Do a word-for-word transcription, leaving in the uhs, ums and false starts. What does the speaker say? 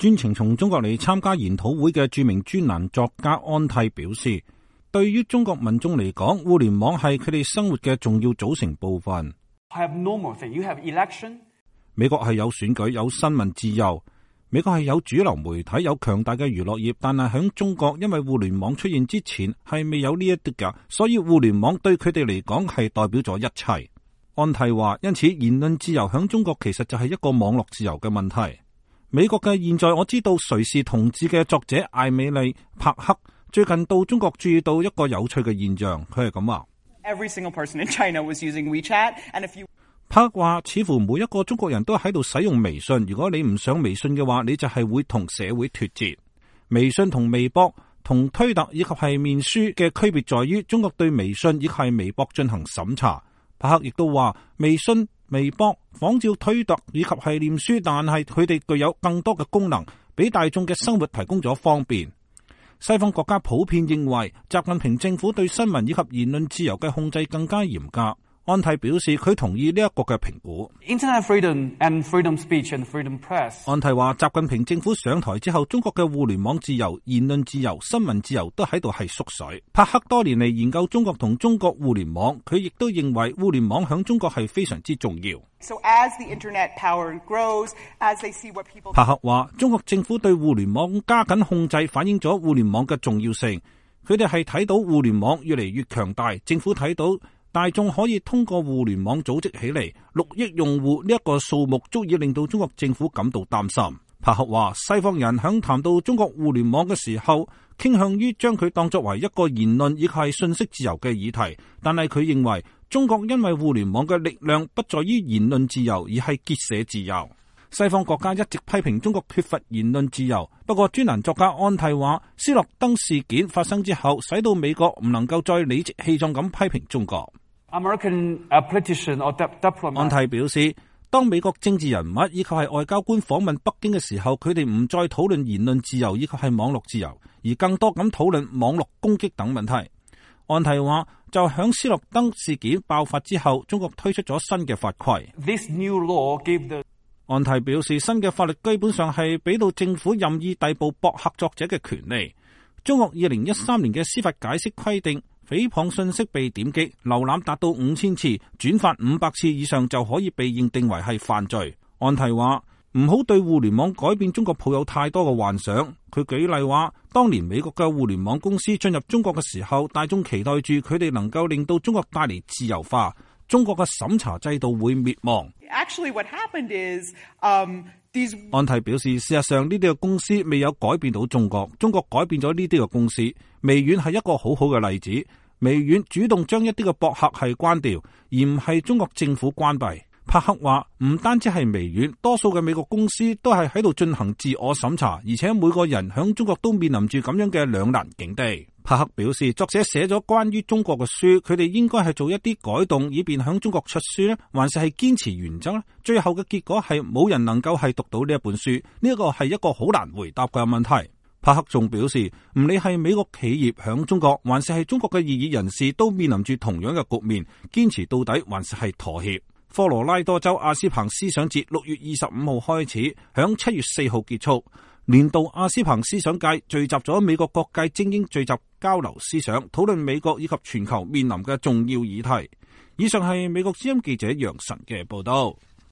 專程從中國嚟參加研討會嘅著名專欄作家安蒂表示，對於中國民眾嚟講，互聯網係佢哋生活嘅重要組成部分。美國係有選舉、有新聞自由，美國係有主流媒體、有強大嘅娛樂業，但係喺中國，因為互聯網出現之前係未有呢一啲㗎，所以互聯網對佢哋嚟講係代表咗一切。安蒂話，因此言論自由喺中國其實就係一個網絡自由嘅問題。美國嘅現在我知道誰是同志嘅作者艾美麗帕克最近到中國注意到一個有趣嘅現象，佢係咁話。Every single person in China was using WeChat, and if you 帕克話，似乎每一個中國人都喺度使用微信。如果你唔上微信嘅話，你就係會同社會脫節。微信同微博同推特以及係面書嘅區別在於，中國對微信以及係微博進行審查。帕克亦都話，微信、微博仿照推特以及係臉書，但係佢哋具有更多嘅功能，俾大眾嘅生活提供咗方便。西方國家普遍認為，習近平政府對新聞以及言論自由嘅控制更加嚴格。安蒂表示，佢同意呢一個嘅評估。Internet freedom and freedom speech and freedom press。安蒂話，習近平政府上台之後，中國嘅互聯網自由、言論自由、新聞自由都喺度係縮水。帕克多年嚟研究中國同中國互聯網，佢亦都認為互聯網響中國係非常之重要。So as the internet power grows, as they see what people。帕克話，中國政府對互聯網加緊控制，反映咗互聯網嘅重要性。佢哋係睇到互聯網越嚟越強大，政府睇到大眾可以通過互聯網組織起嚟，六億用戶呢一個數目足以令到中國政府感到擔心。帕克話，西方人響談到中國互聯網嘅時候，傾向於將佢當作為一個言論以及係信息自由嘅議題，但係佢認為中國因為互聯網嘅力量不在於言論自由，而係結社自由。西方國家一直批評中國缺乏言論自由，不過專欄作家安蒂話，斯諾登事件發生之後，使到美國唔能夠再理直氣壯咁批評中國。American politician or diplomat。安蒂表示，當美國政治人物以及係外交官訪問北京嘅時候，佢哋唔再討論言論自由以及係網絡自由，而更多咁討論網絡攻擊等問題。安蒂話，就響斯諾登事件爆發之後，中國推出咗新嘅法規。This new law gave the。安蒂表示，新嘅法律基本上係俾到政府任意逮捕博客作者嘅權利。中國二零一三年嘅司法解釋規定，誹謗信息被點擊、瀏覽達到五千次、轉發五百次以上就可以被認定為係犯罪。安蒂話，唔好對互聯網改變中國抱有太多嘅幻想。佢舉例話，當年美國嘅互聯網公司進入中國嘅時候，大眾期待住佢哋能夠令到中國帶嚟自由化，中國嘅審查制度會滅亡。Actually, what happened is, um, these。安蒂表示，事實上呢啲嘅公司未有改變到中國，中國改變咗呢啲嘅公司。微軟係一個好好嘅例子，微軟主動將一啲嘅博客係關掉，而唔係中國政府關閉。帕克話，唔單止係微軟，多數嘅美國公司都係喺度進行自我審查，而且每個人響中國都面臨住咁樣嘅兩難境地。帕克表示，作者寫咗關於中國嘅書，佢哋應該係做一啲改動，以便響中國出書呢，還是係堅持原則呢？最後嘅結果係冇人能夠係讀到呢一本書，呢一個係一個好難回答嘅問題。帕克仲表示，唔理係美國企業響中國，還是係中國嘅異議人士，都面臨住同樣嘅局面，堅持到底還是係妥協。科羅拉多州阿斯彭思想節六月二十五號開始，響七月四號結束。年度阿斯彭思想界聚集咗美國各界精英，聚集交流思想，討論美國以及全球面臨嘅重要議題。以上係美國之音記者楊晨嘅報道。